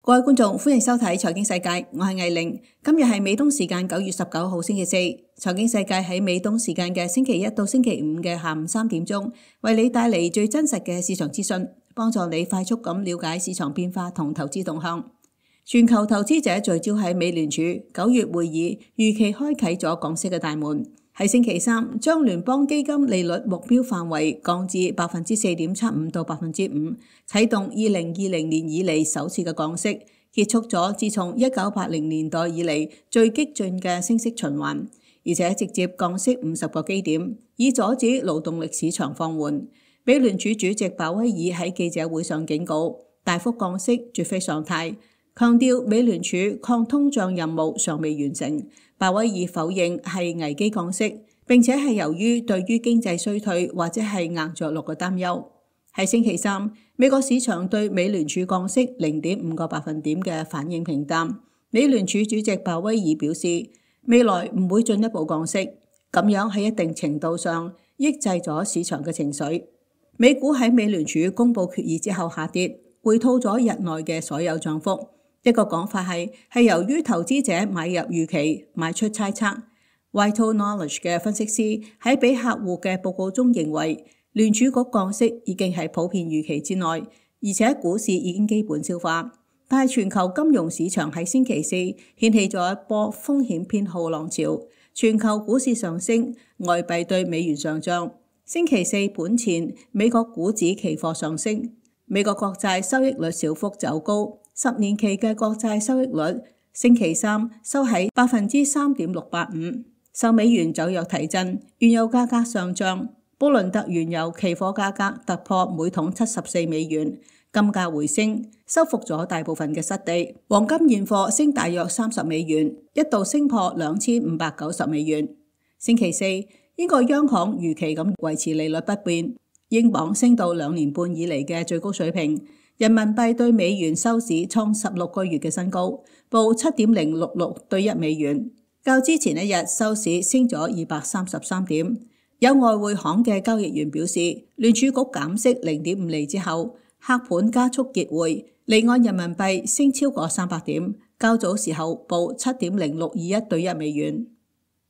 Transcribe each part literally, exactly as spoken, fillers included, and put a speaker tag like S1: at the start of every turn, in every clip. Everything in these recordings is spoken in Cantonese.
S1: 各位觀眾，歡迎收睇財經世界，我係艾玲。今日係美東時間九月十九號星期四，財經世界喺美東時間嘅星期一到星期五嘅下午三點鐘，為你帶嚟最真實嘅市場資訊，幫助你快速咁了解市場變化同投資動向。全球投資者聚焦喺美聯儲九月會議，預期開啟咗降息嘅大門。喺星期三，將聯邦基金利率目標範圍降至百分之四點七五到百分之五，啟動二零二零年以嚟首次嘅降息，結束咗自從一九八零年代以嚟最激進嘅升息循環，而且直接降息五十個基點，以阻止勞動力市場放緩。美聯儲主席鮑威爾喺記者會上警告，大幅降息絕非常態，強調美聯儲抗通脹任務尚未完成。鮑威爾否認係危機降息，並且係由於對於經濟衰退或者係硬着陸嘅擔憂。喺星期三，美國市場對美聯儲降息零點五個百分點嘅反應平淡。美聯儲主席鮑威爾表示，未來唔會進一步降息，咁樣喺一定程度上抑制咗市場嘅情緒。美股喺美聯儲公佈決議之後下跌，回吐咗日內嘅所有漲幅。一個講法係係由於投資者買入預期，賣出猜測。Vital Knowledge 嘅分析師喺俾客戶嘅報告中認為，聯儲局降息已經係普遍預期之內，而且股市已經基本消化。但係全球金融市場喺星期四掀起咗一波風險偏好浪潮，全球股市上升，外幣對美元上漲。星期四盤前，美國股指期貨上升，美國國債收益率小幅走高。十年期嘅國債收益率星期三收喺百分之三點六八五，受美元走弱提振，原油價格上漲，布倫特原油期貨價格突破每桶七十四美元，金價回升，收復咗大部分嘅失地。黃金現貨升大約三十美元，一度升破兩千五百九十美元。星期四，英國央行如期咁維持利率不變，英鎊升到兩年半以嚟嘅最高水平。人民幣對美元收市創十六個月嘅新高，報七點零六六對一美元，較之前一日收市升咗二百三十三點。有外匯行嘅交易員表示，聯儲局減息零點五厘之後，客盤加速結匯，離岸人民幣升超過三百點，較早時候報七點零六二一對一美元。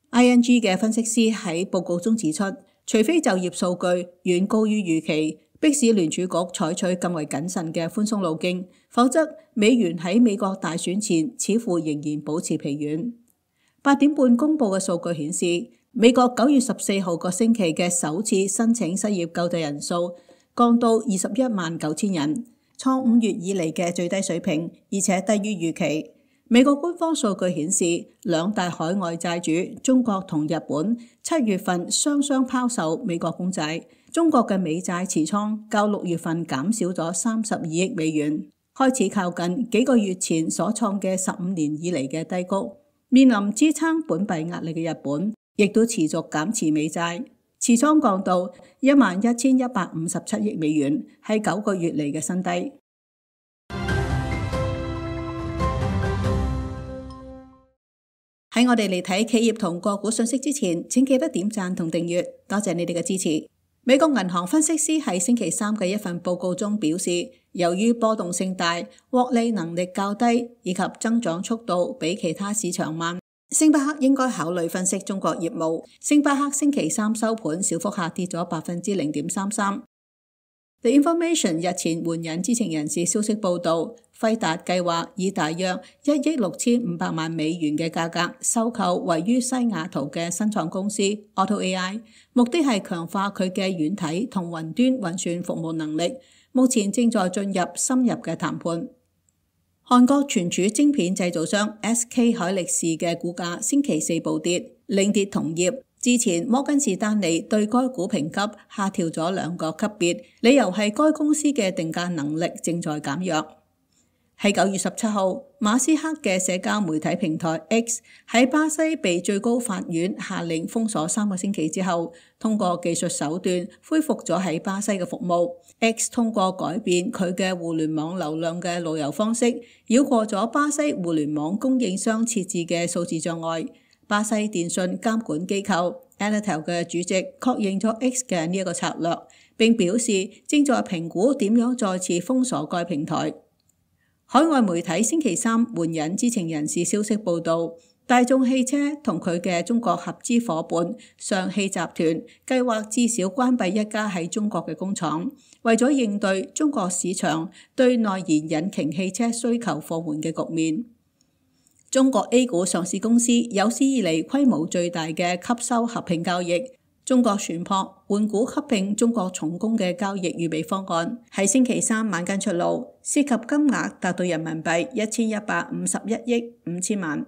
S1: I N G 嘅分析師喺報告中指出，除非就業數據遠高於預期，迫使聯儲局採取更為謹慎嘅寬鬆路徑，否則美元喺美國大選前似乎仍然保持疲軟。八點半公佈嘅數據顯示，美國九月十四號個星期嘅首次申請失業救濟人數降到二十一萬九千人，創五月以嚟嘅最低水平，而且低於預期。美國官方數據顯示，兩大海外債主中國同日本七月份雙雙拋售美國公債。中國嘅美債持倉較六月份減少咗三十二億美元，開始靠近幾個月前所創嘅十五年以嚟嘅低谷。面臨支撐本幣壓力嘅日本，亦都持續減持美債，持倉降到一萬一千一百五十七億美元，係九個月嚟嘅新低。喺我哋嚟睇企業同個股信息之前，請記得點讚同訂閱，多謝你哋嘅支持。美國銀行分析師喺星期三嘅一份報告中表示，由於波動性大、獲利能力較低以及增長速度比其他市場慢，星巴克應該考慮分析中國業務。星巴克星期三收盤小幅下跌咗百分之零點三三。The Information 日前援引知情人士消息報道，輝達計劃以大約一億六千五百萬美元嘅價格收購位於西雅圖嘅新創公司 Auto A I， 目的係強化佢嘅軟體同雲端運算服務能力。目前正在進入深入嘅談判。韓國存儲晶片製造商 S K 海力士嘅股價星期四暴跌，領跌同業。之前摩根士丹利對該股評級下調咗兩個級別，理由係該公司嘅定價能力正在減弱。喺九月十七號，馬斯克嘅社交媒體平台 X 喺巴西被最高法院下令封鎖三個星期之後，通過技術手段恢復咗喺巴西嘅服務。X 通過改變佢嘅互聯網流量嘅路由方式，繞過咗巴西互聯網供應商設置嘅數字障礙。巴西電信監管機構 Anatel 嘅主席確認咗 X 嘅呢一個策略，並表示正在評估點樣再次封鎖該平台。海外媒體星期三援引知情人士消息報道，大眾汽車同佢嘅中國合資夥伴上汽集團計劃至少關閉一家喺中國嘅工廠，為咗應對中國市場對內燃引擎汽車需求放緩嘅局面。中國 A 股上市公司有史以嚟規模最大嘅吸收合併交易。中國船舶換股合併中國重工嘅交易預備方案喺星期三晚間出爐，涉及金額達到人民幣一千一百五十一億五千萬。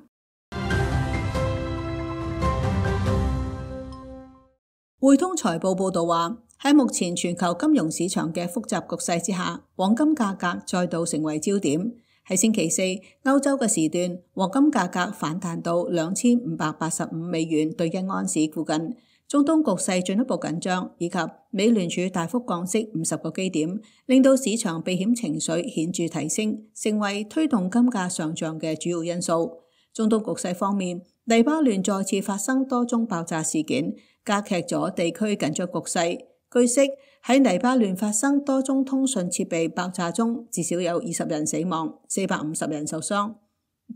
S1: 匯通財報報導話，喺目前全球金融市場嘅複雜局勢之下，黃金價格再度成為焦點。喺星期四歐洲嘅時段，黃金價格反彈到兩千五百八十五美元對一安士附近。中東局勢進一步緊張，以及美聯儲大幅降息五十個基點，令到市場避險情緒顯著提升，成為推動金價上漲嘅主要因素。中東局勢方面，黎巴嫩再次發生多宗爆炸事件，加劇咗地區緊張局勢。據悉，喺黎巴嫩發生多宗通訊設備爆炸中，至少有二十人死亡，四百五十人受傷。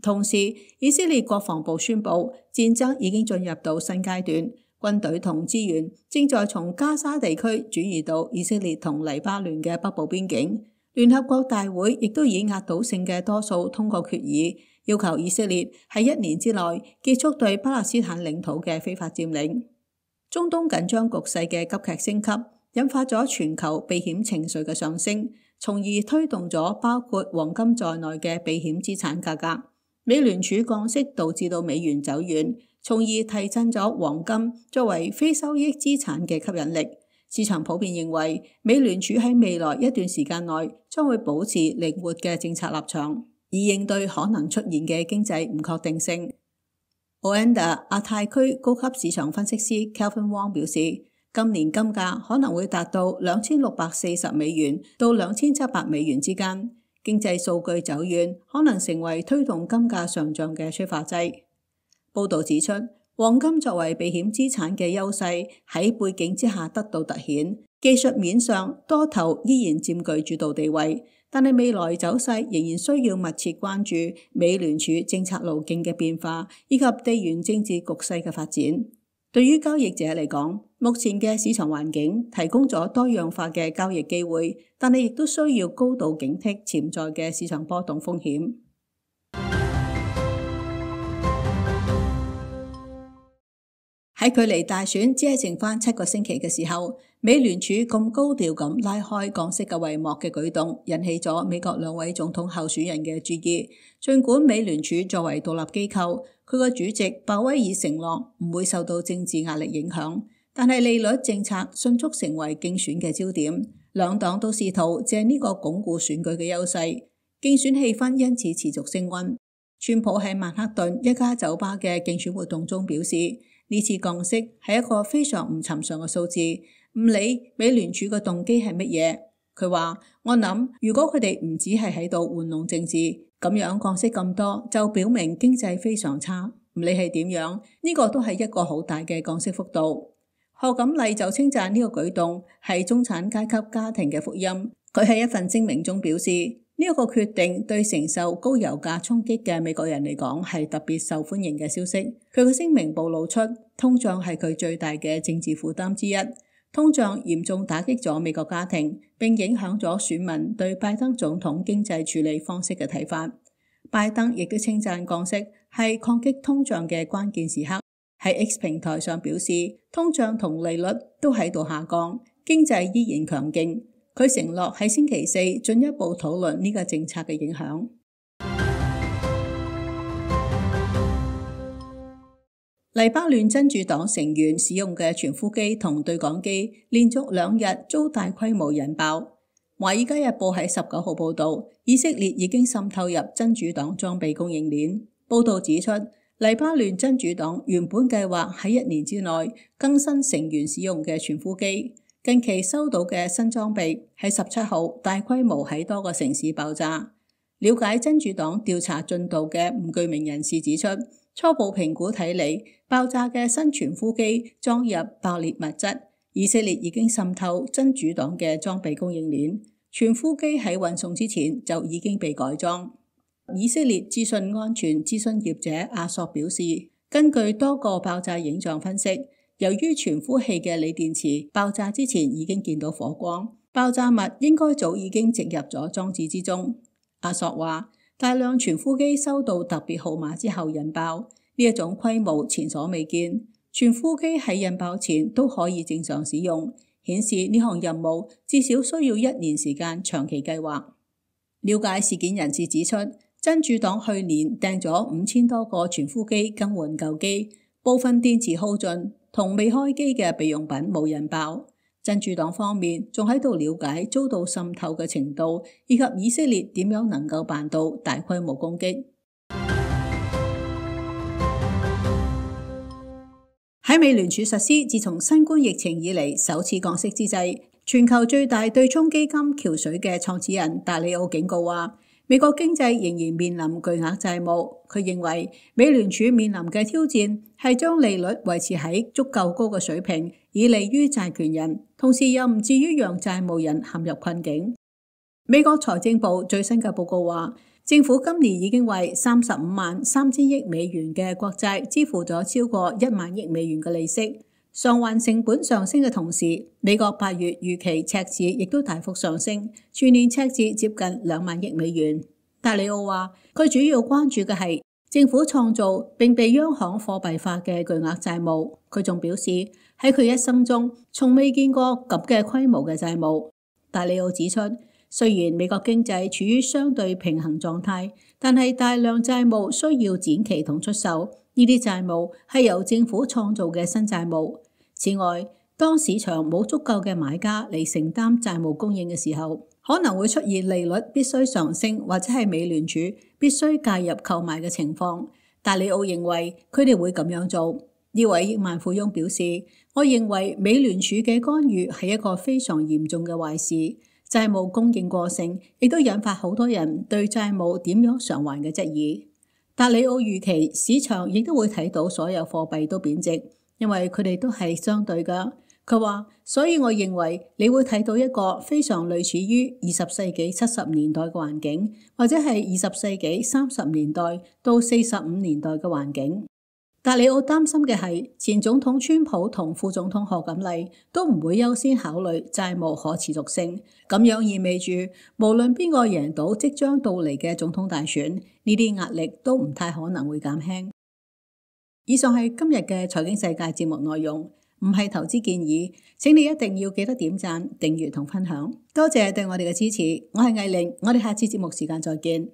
S1: 同時，以色列國防部宣布，戰爭已經進入到新階段。軍隊同資源正在從加沙地區轉移到以色列同黎巴嫩嘅北部邊境。聯合國大會亦都以壓倒性嘅多數通過決議，要求以色列喺一年之內結束對巴勒斯坦領土嘅非法佔領。中東緊張局勢嘅急劇升級，引發咗全球避險情緒嘅上升，從而推動咗包括黃金在內嘅避險資產價格。美聯儲降息導致到美元走軟，從而提振咗黃金作為非收益資產嘅吸引力。市場普遍認為，美聯儲喺未來一段時間內將會保持靈活嘅政策立場，以應對可能出現嘅經濟唔確定性。Oanda 亞太區高級市場分析師 Kelvin Wong 表示，今年金價可能會達到兩千六百四十美元到兩千七百美元之間。經濟數據走遠，可能成為推動金價上漲嘅催化劑。報導指出，黃金作為避險資產嘅優勢喺背景之下得到突顯，技術面上多頭依然佔據主導地位，但係未來走勢仍然需要密切關注美聯儲政策路徑嘅變化，以及地緣政治局勢嘅發展。對於交易者嚟講，目前嘅市場環境提供咗多樣化嘅交易機會，但係亦都需要高度警惕潛在嘅市場波動風險。喺距離大選只係剩翻七個星期嘅時候，美聯儲咁高調咁拉開降息嘅帷幕嘅舉動，引起咗美國兩位總統候選人嘅注意。儘管美聯儲作為獨立機構，佢個主席鮑威爾承諾唔會受到政治壓力影響，但係利率政策迅速成為競選嘅焦點。兩黨都試圖借呢個鞏固選舉嘅優勢，競選氣氛因此持續升溫。川普喺曼克頓一家酒吧嘅競選活動中表示，呢次降息係一個非常唔尋常嘅數字，唔理美聯儲嘅動機係乜嘢。佢話：我諗如果佢哋唔只係喺度玩弄政治，咁樣降息咁多，就表明經濟非常差。唔理係點樣，呢個都係一個好大嘅降息幅度。賀錦麗就稱讚呢個舉動係中產階級家庭嘅福音。佢喺一份聲明中表示，呢一個決定對承受高油價衝擊嘅美國人嚟講係特別受歡迎嘅消息。佢嘅聲明暴露出通脹係佢最大嘅政治負擔之一。通脹嚴重打擊咗美國家庭，並影響咗選民對拜登總統經濟處理方式嘅睇法。拜登亦都稱讚降息係抗擊通脹嘅關鍵時刻。喺 X 平台上表示，通脹同利率都喺度下降，經濟依然強勁。佢承諾喺星期四進一步討論呢個政策嘅影響。黎巴嫩真主黨成員使用嘅傳呼機同對講機連續兩日遭大規模引爆。華爾街日報喺十九號報道，以色列已經滲透入真主黨裝備供應鏈。報道指出，黎巴嫩真主黨原本計劃喺一年之內更新成員使用嘅傳呼機。近期收到嘅新裝備喺十七號大規模喺多個城市爆炸。了解真主黨調查進度嘅唔具名人士指出，初步評估睇嚟，爆炸嘅新傳呼機裝入爆裂物質。以色列已經滲透真主黨嘅裝備供應鏈。傳呼機喺運送之前就已經被改裝。以色列資訊安全諮詢業者阿索表示，根據多個爆炸影像分析，由於傳呼器嘅鋰電池爆炸之前已經見到火光，爆炸物應該早已經植入咗裝置之中。阿索話，大量傳呼機收到特別號碼之後引爆，呢一種規模前所未見。傳呼機喺引爆前都可以正常使用，顯示呢項任務至少需要一年時間長期計劃。了解事件人士指出，真主黨去年訂咗五千多個傳呼機更換舊機，部分電池耗盡同未開機嘅備用品冇引爆。真主黨方面仲喺度了解遭到滲透嘅程度，以及以色列點樣能夠辦到大規模攻擊。喺美聯儲實施自從新冠疫情以嚟首次降息之際，全球最大對沖基金橋水嘅創始人達里奧警告話，美國經濟仍然面臨巨額債務。佢認為美聯儲面臨嘅挑戰係將利率維持喺足夠高嘅水平，以利於債權人，同時又唔至於讓債務人陷入困境。美國財政部最新嘅報告話，政府今年已經為三十五萬三千億美元嘅國債支付咗超過一萬億美元嘅利息。償還成本上升嘅同時，美國八月預期赤字亦都大幅上升，全年赤字接近兩萬億美元。達里奧話，佢主要關注嘅係政府創造並被央行貨幣化嘅巨額債務。佢仲表示，喺佢一生中從未見過咁嘅規模嘅債務。達里奧指出，雖然美國經濟處於相對平衡狀態，但係大量債務需要展期同出售。呢啲債務係由政府創造嘅新債務。此外，當市場冇足夠嘅買家嚟承擔債務供應嘅時候，可能會出現利率必須上升，或者係美聯儲必須介入購買嘅情況。達里奧認為佢哋會咁樣做。呢位億萬富翁表示，我認為美聯儲嘅干預係一個非常嚴重嘅壞事。債務供應過剩亦都引發好多人對債務點樣償還嘅質疑。達里奧預期市場亦都會睇到所有貨幣都貶值，因為佢哋都係相對㗎。佢話，所以我認為你會睇到一個非常類似於二十世紀七十年代嘅環境，或者係二十世紀三十年代到四十五年代嘅環境。達里奧擔心嘅係前總統川普同副總統賀錦麗都唔會優先考慮債務可持續性，咁樣意味住無論邊個贏到即將到嚟嘅總統大選，呢啲壓力都唔太可能會減輕。以上係今日嘅財經世界節目內容，唔係投資建議，請你一定要記得點讚、訂閱同分享。多謝對我哋嘅支持，我係藝玲，我哋下次節目時間再見。